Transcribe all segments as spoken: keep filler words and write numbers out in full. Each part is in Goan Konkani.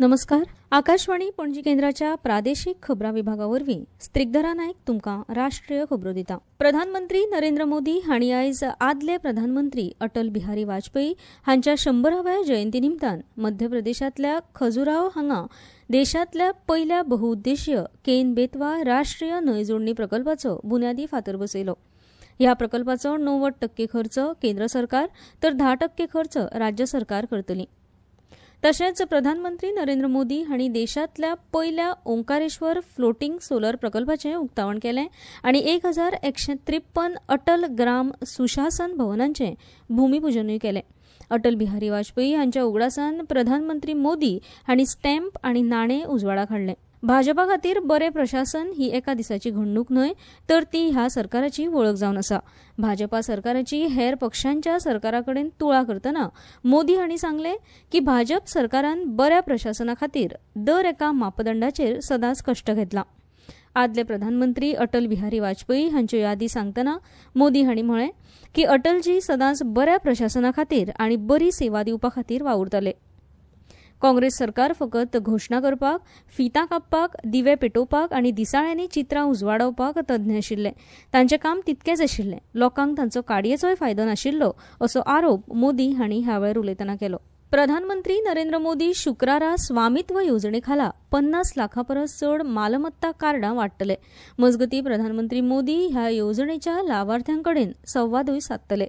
नमस्कार. आकाशवाणी पणजी केंद्राच्या प्रादेशीक खबरां विभागा वरवीं स्त्रिगधरा नायक तुमकां राष्ट्रीय खबरो दिता. प्रधानमंत्री नरेंद्र मोदी हांणी आयज आदले प्रधानमंत्री अटल बिहारी वाजपेयी हांच्या शंबराव्या जयंती निमतान मध्य प्रदेशांतल्या खजुराहो हांगा देशांतल्या पयल्या बहुउद्देशीय केन बेतवा राष्ट्रीय न्हंय जोडणी प्रकल्पाचो बुन्यादी फातर बसयलो. ह्या प्रकल्पाचो णव्वद टक्के खर्च केंद्र सरकार तर धा टक्के खर्च राज्य सरकार करतली. तशेंच प्रधानमंत्री नरेंद्र मोदी हांणी देशांतल्या पयल्या ओंकारेश्वर फ्लोटींग सोलर प्रकल्पाचें उक्तावण केलें आनी एक हजार एकशे त्रेप्पन अटल ग्राम सुशासन भवनांचें भूमिपुजनूय केलें. अटल बिहारी वाजपेयी हांच्या उगडासान प्रधानमंत्री मोदी हांणी स्टॅम्प आनी नाणें उजवाडाक हाडलें. भाजपा खातीर बरें प्रशासन ही एका दिसाची घडणूक न्हय तर ती ह्या सरकाराची वळख जावन आसा. भाजपा सरकाराची हेर पक्षांच्या सरकारा कडेन तुळा करतना मोदी हांणी सांगलें की भाजप सरकारान बऱ्या प्रशासना खातीर दर एका मापदंडाचेर सदांच कश्ट घेतला. आदले प्रधानमंत्री अटल बिहारी वाजपेयी हांच्यो यादी सांगतना मोदी हांणी म्हळें की अटलजी सदांच बऱ्या प्रशासना खातीर आनी बरी सेवा दिवपा खातीर वावुरताले. काँग्रेस सरकार फकत घोशणा करपाक, फितां कापपाक, दिवे पेटोवपाक आनी दिसाळ्यांनी चित्रां उजवाडावपाक तज्ञ आशिल्ले. तांचें काम तितकेंच आशिल्लें. लोकांक तांचो काडयेचोय फायदो नाशिल्लो असो आरोप मोदी हांणी ह्या वेळार उलयतना केलो. प्रधानमंत्री नरेंद्र मोदी शुक्रारा स्वामित्व येवजणे खाला पन्नास लाखां परस चड मालमत्ता कार्डां वांट्टले. मजगतीं प्रधानमंत्री मोदी ह्या येवजणेच्या लावार्थ्यां कडेन संवादूय सादतले.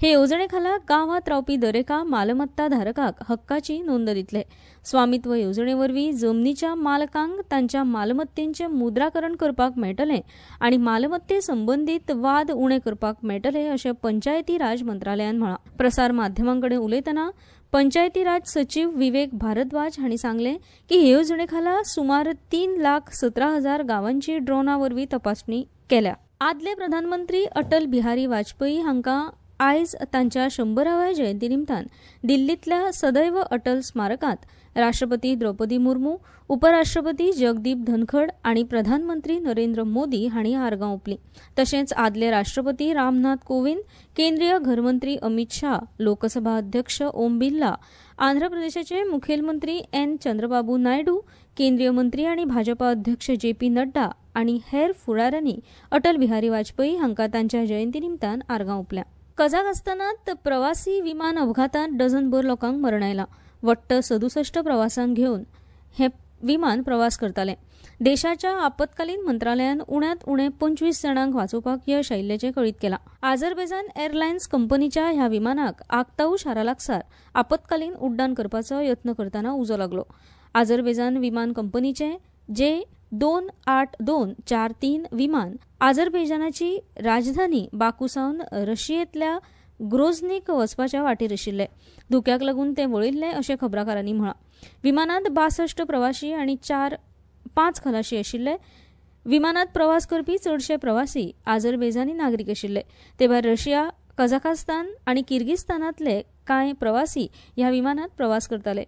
हे येवजणे खाला गांवांत रावपी दरेका मालमत्ता धारकाक हक्काची नोंद दितले. स्वामित्व येवजणे वरवीं जमनीच्या मालकांक तांच्या मालमत्तेंचें मुद्राकरण करपाक मेळटलें आनी मालमत्ते संबंदीत वाद उणे करपाक मेळटले अशें पंचायती राज मंत्रालयान म्हळां. प्रसार माध्यमां कडेन उलयतना पंचायती राज सचीव विवेक भारद्वाज हांणी सांगलें की हे येवजणे खाला सुमार तीन लाख सतरा हजार गांवांची ड्रोना वरवीं तपासणी केल्या. आदले प्रधानमंत्री अटल बिहारी वाजपेयी हांकां आयज तांच्या शंबराव्या जयंती निमतान दिल्लींतल्या सदैव अटल स्मारकांत राष्ट्रपती द्रौपदी मुर्मू, उपराष्ट्रपती जगदीप धनखड आनी प्रधानमंत्री नरेंद्र मोदी हांणी आर्गां ओंपलीं. तशेंच आदले राष्ट्रपती रामनाथ कोविंद, केंद्रीय घरमंत्री अमित शाह, लोकसभा अध्यक्ष ओम बिर्ला, आंध्र प्रदेशाचे मुखेलमंत्री एन चंद्रबाबू नायडू, केंद्रीय मंत्री आनी भाजपा अध्यक्ष जे पी नड्डा आनी हेर फुडाऱ्यांनी अटल बिहारी वाजपेयी हांकां तांच्या जयंती निमतान आर्गां ओंपल्या. कझाकस्तानांत प्रवासी विमान अपघातांत डझनभर लोकांक मरण आयलां. वट्ट सदुसश्ट प्रवासांक घेवन हें विमान प्रवास करतालें. देशाच्या आपत्कालीन मंत्रालयान उण्यांत उणे पंचवीस जाणांक वाचोवपाक यश आयिल्ल्याचें कळीत केलां. आझरबैजान एअरलायन्स कंपनीच्या ह्या विमानाक आक्ताऊ शारा लागसार आपत्कालीन उड्डाण करपाचो यत्न करतना उजो लागलो. आझरबैजान विमान कंपनीचें जे दोन आठ दोन चार तीन विमान आझरबैजानाची राजधानी बाकू सावन रशियेंतल्या ग्रोझनीक वचपाच्या वाटेर आशिल्लें. धुक्याक लागून तें वळिल्लें अशें खबराकारांनी म्हळां. विमानांत बासश्ट प्रवाशी आनी चार पांच खलाशी आशिल्ले. विमानांत प्रवास करपी चडशे प्रवासी आझरबैजानी नागरीक आशिल्ले. ते भायर रशिया, कझाकस्तान आनी किर्गिस्तानांतले कांय प्रवासी ह्या विमानांत प्रवास करताले.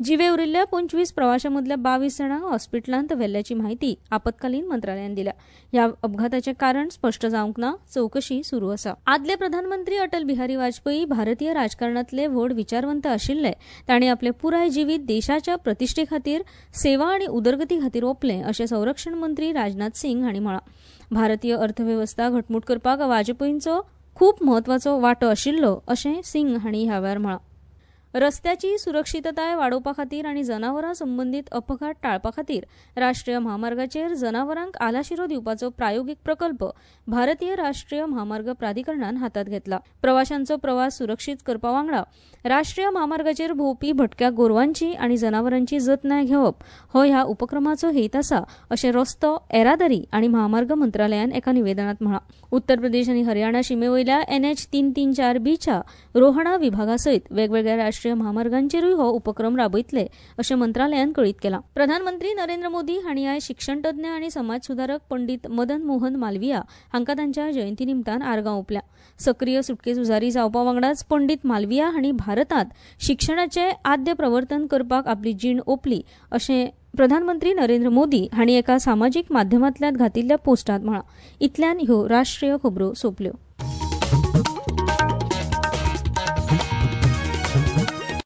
जिवे उरिल्ल्या पंचवीस प्रवाशां मदल्या बावीस जाणांक हॉस्पिटलांत व्हेल्ल्याची म्हायती आपत्कालीन मंत्रालयान दिल्या. ह्या अपघाताचें कारण स्पश्ट जावंक ना. चवकशी सुरू आसा. आदले प्रधानमंत्री अटल बिहारी वाजपेयी भारतीय राजकारणांतले व्हड विचारवंत आशिल्ले. तांणी आपलें पुराय जिवीत देशाच्या प्रतिश्ठे खातीर, सेवा आनी उदरगती खातीर ओंपलें अशें संरक्षण मंत्री राजनाथ सिंग हांणी म्हळां. भारतीय अर्थवेवस्था घटमूट करपाक वाजपेयींचो खूब म्हत्वाचो वांटो आशिल्लो अशें सिंग हांणी ह्या वेळार म्हळां. रस्त्याची सुरक्षितताय वाडोवपा खातीर आनी जनावरां संबंदीत अपघात टाळपा खातीर राष्ट्रीय म्हामार्गाचेर जनावरांक आलाशिरो दिवपाचो प्रायोगीक प्रकल्प भारतीय राष्ट्रीय म्हामार्ग प्राधिकरणान हातांत घेतला. प्रवाशांचो प्रवास सुरक्षीत करपा वांगडा राष्ट्रीय म्हामार्गाचेर भोंवपी भटक्या गोरवांची आनी जनावरांची जतनाय घेवप हो ह्या उपक्रमाचो हेत आसा अशें रस्तो, येरादारी आनी म्हामार्ग मंत्रालयान एका निवेदनांत म्हळां. उत्तर प्रदेश आनी हरियाणा शिमे वयल्या एन एच तीन तीन चार बीच्या रोहणा विभागा सयत वेगवेगळ्या राष्ट्रीय म्हामार्गांचेरूय हो उपक्रम राबयतले अशें मंत्रालयान कळीत केलां. प्रधानमंत्री नरेंद्र मोदी हांणी आयज शिक्षणतज्ञ आनी समाज सुदारक पंडित मदन मोहन मालविया हांकां तांच्या जयंती निमतान आर्गां ओंपल्या. सक्रीय सुटके झुजारी जावपा वांगडाच पंडित मालविया हांणी भारतांत शिक्षणाचें आद्य प्रवर्तन करपाक आपली जीण ओंपली अशें प्रधानमंत्री नरेंद्र मोदी हांणी एका सामाजीक माध्यमांतल्यान घातिल्ल्या पोस्टांत म्हळां. इतल्यान ह्यो राष्ट्रीय खबरो सोंपल्यो.